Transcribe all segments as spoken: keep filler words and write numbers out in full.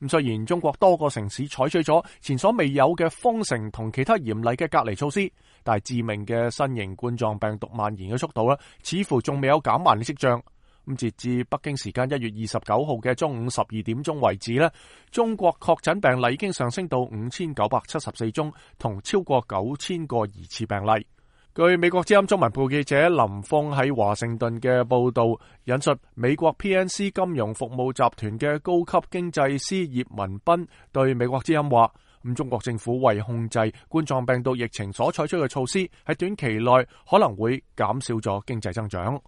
咁雖然中國多個城市採取咗前所未有嘅封城同其他嚴厲嘅隔離措施，但係致命嘅新型冠狀病毒蔓延嘅速度咧，似乎仲未有減慢嘅跡象。咁截至北京時間一月二十九號嘅中午十二點鐘為止咧，中國確診病例已經上升到五千九百七十四宗，同超過九千個疑似病例。據美國之音中文部記者林峰喺華盛頓嘅報道，引述美國 P N C 金融服務集團嘅高級經濟師葉文斌對美國之音話：咁中國政府為控制冠狀病毒疫情所採取嘅措施，喺短期內可能會減少咗經濟增長。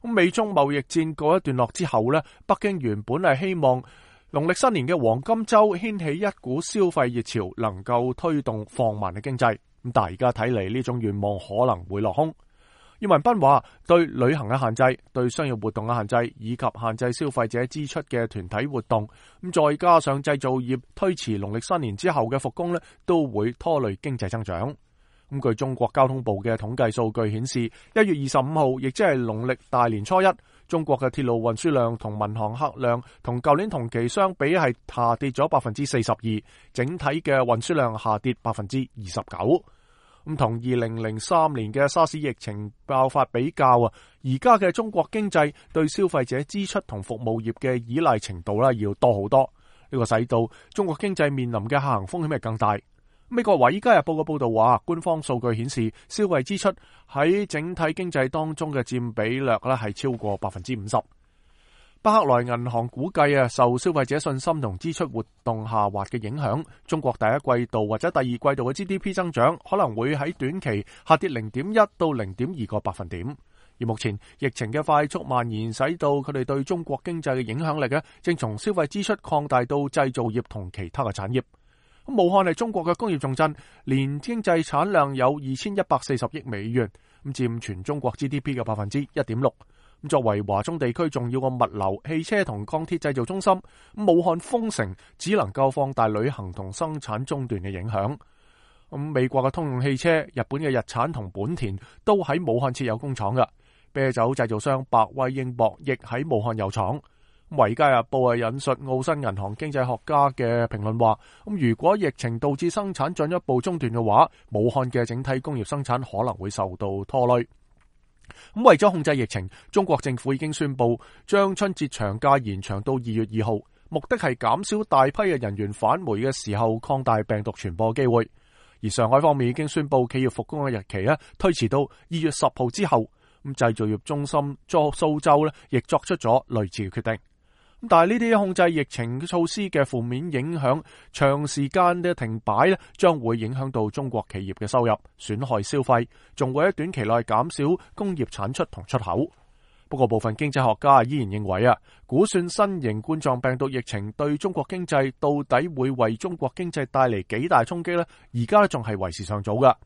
咁美中貿易戰告一段落之後呢，北京原本係希望農曆新年嘅黃金週掀起一股消費熱潮，能夠推動放慢嘅經濟。咁但係而家睇嚟，呢種願望可能會落空。葉文斌話：對旅行嘅限制、對商業活動嘅限制，以及限制消費者支出嘅團體活動，咁再加上製造業推遲農曆新年之後嘅復工呢，都會拖累經濟增長。咁據中國交通部嘅統計數據顯示，一月二十五號，亦即係農曆大年初一，中國嘅鐵路運輸量同民航客量同舊年同期相比係下跌咗百分之四十二，整體嘅運輸量下跌百分之二十九。咁同二零零三年嘅沙士疫情爆發比較啊，而家嘅中國經濟對消費者支出同服務業嘅依賴程度咧要多好多，呢個使到中國經濟面臨嘅下行風險係更大。美國《華爾街日報》嘅報道話，官方數據顯示消費支出喺整體經濟當中嘅佔比率咧係超過百分之五十。巴克萊銀行估計啊，受消費者信心同支出活動下滑嘅影響，中國第一季度或者第二季度嘅 G D P 增長可能會喺短期下跌零點一到零點二個百分點。而目前疫情嘅快速蔓延，使到佢哋對中國經濟嘅影響力咧，正從消費支出擴大到製造業同其他嘅產業。咁武漢係中國嘅工業重鎮，年經濟產量有二千一百四十億美元，咁佔全中國 G D P 嘅百分之一點六。咁作為華中地區重要嘅物流、汽車同鋼鐵製造中心，咁武漢封城只能夠放大旅行同生產中斷嘅影響。咁美國嘅通用汽車、日本嘅日產同本田都喺武漢設有工廠嘅，啤酒製造商百威英博亦喺武漢有廠。《華爾街日報》係引述澳新銀行經濟學家嘅評論話：咁如果疫情導致生產進一步中斷嘅話，武漢嘅整體工業生產可能會受到拖累。咁為咗控制疫情，中國政府已經宣布將春節長假延長到二月二號，目的係減少大批嘅人員返回嘅時候擴大病毒傳播機會。而上海方面已經宣布企業復工嘅日期咧推遲到二月十號之後。咁製造業中心作蘇州咧亦作出咗類似嘅決定。但係呢啲控制疫情措施嘅負面影響，長時間嘅停擺咧，將會影響到中國企業嘅收入，損害消費，仲會喺短期內減少工業產出同出口。不過部分經濟學家依然認為啊，估算新型冠狀病毒疫情對中國經濟到底會為中國經濟帶嚟幾大衝擊呢？而家仲係為時尚早噶。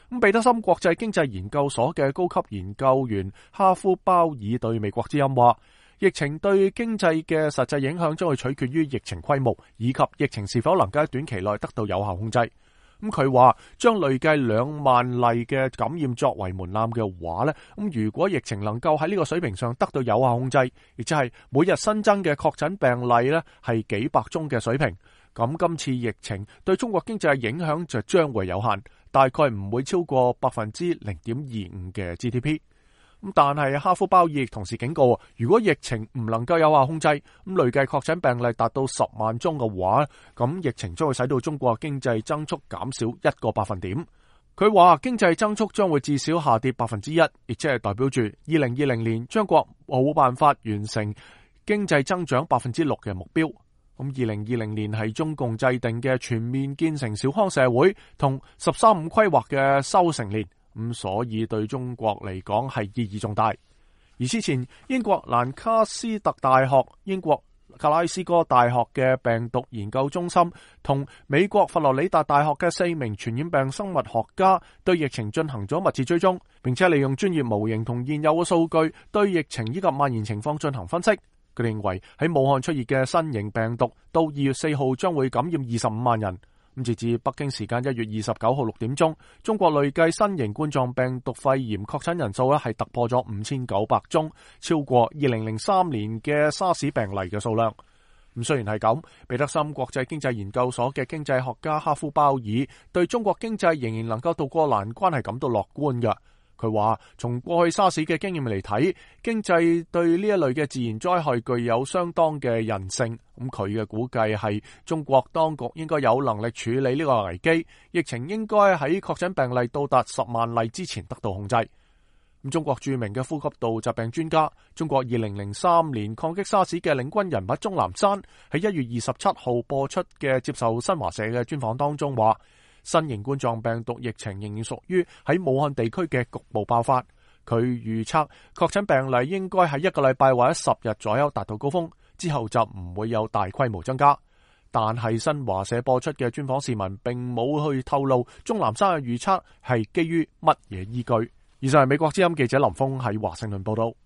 咁彼得森國際經濟研究所嘅高級研究員哈夫鮑爾對美國之音話：疫情對經濟嘅實際影響將會取決於疫情規模，以及疫情是否能夠喺短期內得到有效控制。咁佢話將累計兩萬例嘅感染作為門檻嘅話呢，咁如果疫情能夠喺呢個水平上得到有效控制，亦即係每日新增嘅確診病例呢係幾百宗嘅水平，咁今次疫情對中國經濟嘅影響就將會有限，大概唔會超過百分之零點二五嘅 G D P。咁但係哈夫鮑爾亦同時警告，如果疫情唔能夠有效控制，咁累計確診病例達到十萬宗嘅話，咁疫情將會使到中國經濟增速減少一個百分點。佢話經濟增速將會至少下跌百分之一，亦即係代表住二零二零年中國冇辦法完成經濟增長百分之六嘅目標。咁二零二零年係中共制定嘅全面建成小康社會同十三五規劃嘅收成年。咁所以對中國嚟講係意義重大。而之前英國蘭卡斯特大學、英國格拉斯哥大學嘅病毒研究中心同美國佛羅里達大學嘅四名傳染病生物學家對疫情進行咗密切追蹤，並且利用專業模型同現有嘅數據對疫情以及蔓延情況進行分析。佢認為喺武漢出現嘅新型病毒到二月四號將會感染二十五萬人。咁截至北京時間一月二十九號六點鐘，中國累計新型冠狀病毒肺炎確診人數咧係突破咗五千九百宗，超過二零零三年嘅沙士病例嘅數量。咁雖然係咁，彼得森國際經濟研究所嘅經濟學家哈夫鮑爾對中國經濟仍然能夠渡過難關係感到樂觀嘅。佢話從過去沙士嘅經驗嚟睇，經濟對呢一類嘅自然災害具有相當嘅韌性。咁佢嘅估計係中國當局應該有能力處理呢個危機，疫情應該喺確診病例到達十萬例之前得到控制。咁中國著名嘅呼吸道疾病專家、中國二零零三年抗擊沙士嘅領軍人物鍾南山喺一月二十七號播出嘅接受新華社嘅專訪當中話，新型冠狀病毒疫情仍然屬於喺武漢地區嘅局部爆發。佢預測確診病例應該喺一個禮拜或者十日左右達到高峰，之後就唔會有大規模增加。但係新華社播出嘅專訪視頻並冇去透露鍾南山嘅預測係基於乜嘢依據。以上係美國之音記者林峰喺華盛頓報道。